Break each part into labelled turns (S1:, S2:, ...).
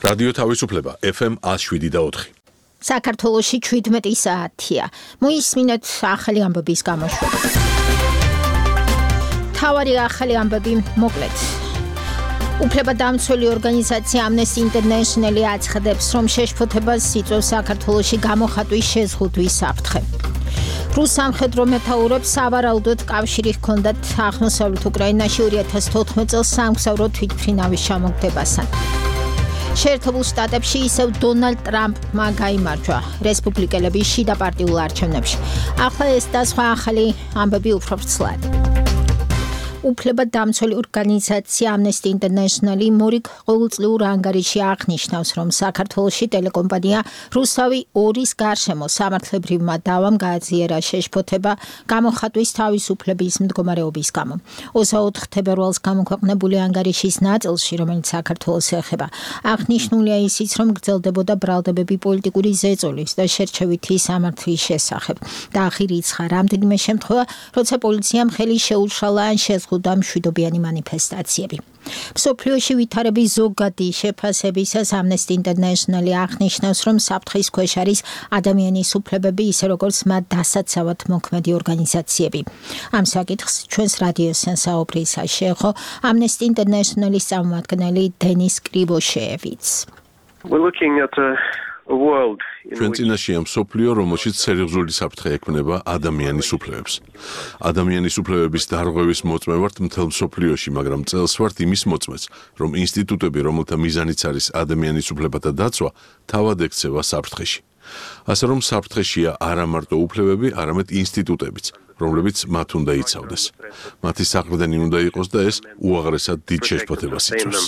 S1: რადიო თავისუფლება FM 107.4.
S2: საქართველოში 17 საათია. მოისმინეთ ახალი ამბების გამოშვება. თავარი ახალი ამბები მოკლედ. უფლებადამცველი ორგანიზაცია Amnesty International აცხადებს, რომ შეშფოთებას იწვევს საქართველოში გამოხატვის შეზღუდვის საფრთხე. რუს სამხედრო მეთაურებს სავარაუდოდ კავშირი ჰქონდათ აღმოსავლეთ უკრაინაში 2014 წელს სამგზავრო თვითმფრინავის ჩამოგდებასთან. შეერთებულ შტატებში ისევ დონალდ ტრამპმა გაიმარჯვა რესპუბლიკელების შიდა პარტიულ არჩევნებში. ახლა ეს და სხვა ახალი ამბები უფრო ვრცლად. უფლებადამცველი ორგანიზაცია Amnesty International მორიგ ყოველწლიურ ანგარიში აღნიშნავს, რომ საქართველოში ტელეკომპანია რუსავი 2-ის გარშემო სამართლებრივმა დავამ გააძლიერა შეშფოთება გამოხატვის თავისუფლების მდგომარეობის გამო. 24 თებერვალს გამოქვეყნებული ანგარიშის ნაწილში, რომელიც საქართველოს ეხება, აღნიშნულია ისიც, რომ გრძელდებოდა ბრალდებები პოლიტიკური ზეწოლის და შერჩევითი სამართლის შესახებ. და აღირიცხა რამდენიმე შემთხვევა, როცა პოლიციამ ხელი შეუშალა ან შეზღუდა მშვიდობიანი მანიფესტაციები. მსოფლიოში ვითარების ზოგადი შეფასებისას Amnesty International აღნიშნავს, რომ საფრთხის ქვეშ არის ადამიანის უფლებები, ისე როგორც მათ დასაცავად მოქმედი ორგანიზაციები. ამ საკითხს ჩვენს რადიოსთან საუბრისა შეეხო Amnesty International-ის წარმომადგენელი დენის კრივოშეევიც.
S1: ჩვენ წინაშეა მსოფლიო, რომელშიც სერიოზული საფრთხე ექმნება ადამიანის უფლებებს. ადამიანის უფლებების დარღვევის მოწმე ვართ მთელ მსოფლიოში, მაგრამ წელს ვართ იმის მოწმეც, რომ ინსტიტუტები, რომელთა მიზანიც არის ადამიანის უფლებათა დაცვა, თავად ექცევა საფრთხეში. ასე რომ საფრთხეშია არა მარტო უფლებები, არამედ ინსტიტუტებიც, რომლებიც მათ უნდა იცავდეს. მათი საყრდენი უნდა იყოს და ეს უაღრესად დიდ შეშფოთებას იწვევს.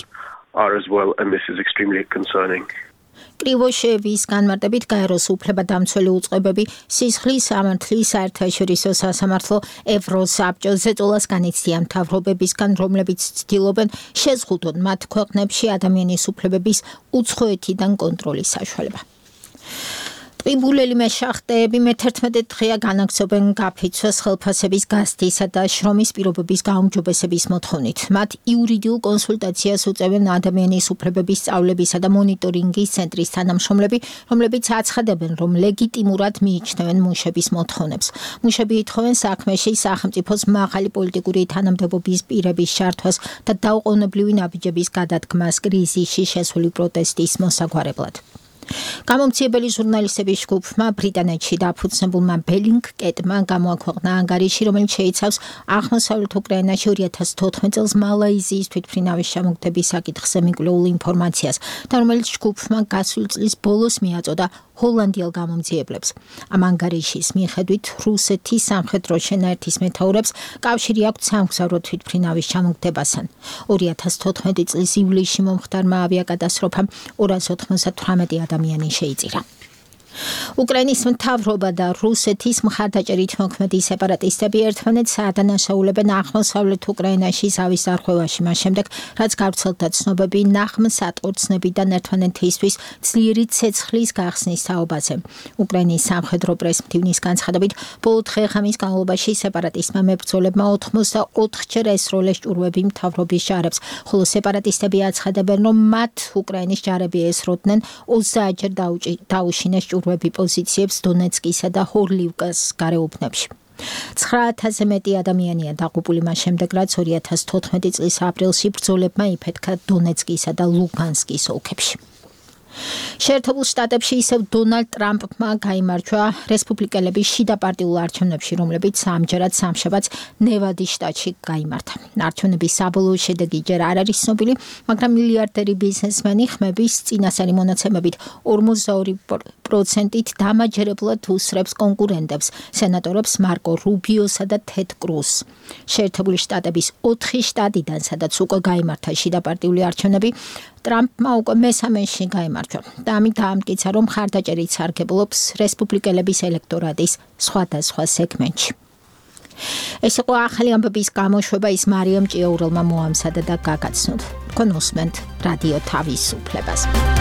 S2: კრივოშეევის განმარტებით გაეროს უფლებადამცველი უწყებები სისხლის სამართლის საერთაშორისო სასამართლო ევროსაბჭოს ზეწოლას განიცდიან მთავრობებისგან, რომლებიც ცდილობენ შეზღუდონ მათ ქვეყნებში ადამიანის უფლებების უცხოეთიდან კონტროლის საშუალება. ტყიბულელი მეშახტეები მე-11 დღეა განაგრძობენ გაფიცვას ხელფასების გაზრდისა და შრომის პირობების გაუმჯობესების მოთხოვნით. მათ იურიდიულ კონსულტაციას უწევენ ადამიანის უფლებების სწავლებისა და მონიტორინგის ცენტრის თანამშრომლები, რომლებიც აცხადებენ, რომ ლეგიტიმურად მიიჩნევენ მუშების მოთხოვნებს. მუშები ითხოვენ საქმეში სახელმწიფოს მაღალი პოლიტიკური თანამდებობის პირების ჩართვას და დაუყოვნებლივი ნაბიჯების გადადგმას კრიზისში შესული პროტესტის მოსაგვარებლად. გამომცემელი ჟურნალისტების ჯგუფმა ბრიტანეთში დაფუძნებულმა ბელინგკეტმა გამოაქვეყნა ანგარიში, რომელიც შეიცავს აღმოსავლეთ უკრაინაში 2014 წელს მალაიზიის თვითმფრინავის ჩამოგდების საკითხზე მიკვლეულ ინფორმაციას და რომელიც ჯგუფმა გასული წლის ბოლოს მიაწოდა ჰოლანდიელ გამომძიებლებს. ამ ანგარიშის მიხედვით რუსეთის სამხედრო შენაერთის მეთაურებს კავშირი აქვთ სამგზავრო თვითმფრინავის ჩამოგდებასთან. 2014 წლის ივლისში მომხდარმა ავიაკატასტროფამ 298 ადამიანი შეიწირა. უკრაინის მთავრობა და რუსეთის მხარდაჭერით მოქმედი სეპარატისტები ერთმანეთს ადანაშაულებენ აღმოსავლეთ უკრაინაში ზავის დარღვევაში, მას შემდეგ, რაც გავრცელდა ცნობები ნაღმსატყორცნებიდან ერთმანეთისთვის ძლიერი ცეცხლის გახსნის თაობაზე. უკრაინის სამხედრო პრესმდივნის განცხადებით, ბოლო დღე-ღამის განმავლობაში სეპარატისტმა მებრძოლებმა 84-ჯერ ესროლეს ჭურვები მთავრობის ჯარებს, ხოლო სეპარატისტები აცხადებენ, რომ მათ უკრაინის ჯარები ესროდნენ 30-ჯერ დაუშინეს ჭურვები პოზიციებს დონეცკისა და ჰორლივკას გარეუბნებში. 9000-ზე მეტი ადამიანია დაღუპული მას შემდეგ, რაც 2014 წლის აპრილში ბრძოლებმა იფეთქა დონეცკისა და ლუგანსკის ოლქებში. შეერთებულ შტატებში ისევ დონალდ ტრამპმა გაიმარჯვა რესპუბლიკელების შიდა პარტიულ არჩევნებში, რომლებიც ამჯერად სამშაბათს ნევადის შტატში გაიმართა. არჩევნების საბოლოო შედეგი ჯერ არ არის ცნობილი, მაგრამ მილიარდერი ბიზნესმენი ხმების წინასწარი მონაცემებით 42%-ით დამაჯერებლად უსრებს კონკურენტებს, სენატორებს მარკო რუბიოსა და თედ კრუზს. შეერთებული შტატების 4 შტატიდან, სადაც უკვე გაიმართა შიდა პარტიული არჩევნები, ტრამპმა უკვე მესამეში გაიმარჯვა და ამით დაამტკიცა, რომ მხარდაჭერით სარგებლობს რესპუბლიკელების ელექტორატის სხვადასხვა სეგმენტში. ეს იყო ახალი ამბების გამოშვება, ის მარიამ ჭიაურელმა მოამზადა და გაგაცნოთ. თქვენ უსმენთ რადიო თავისუფლებას.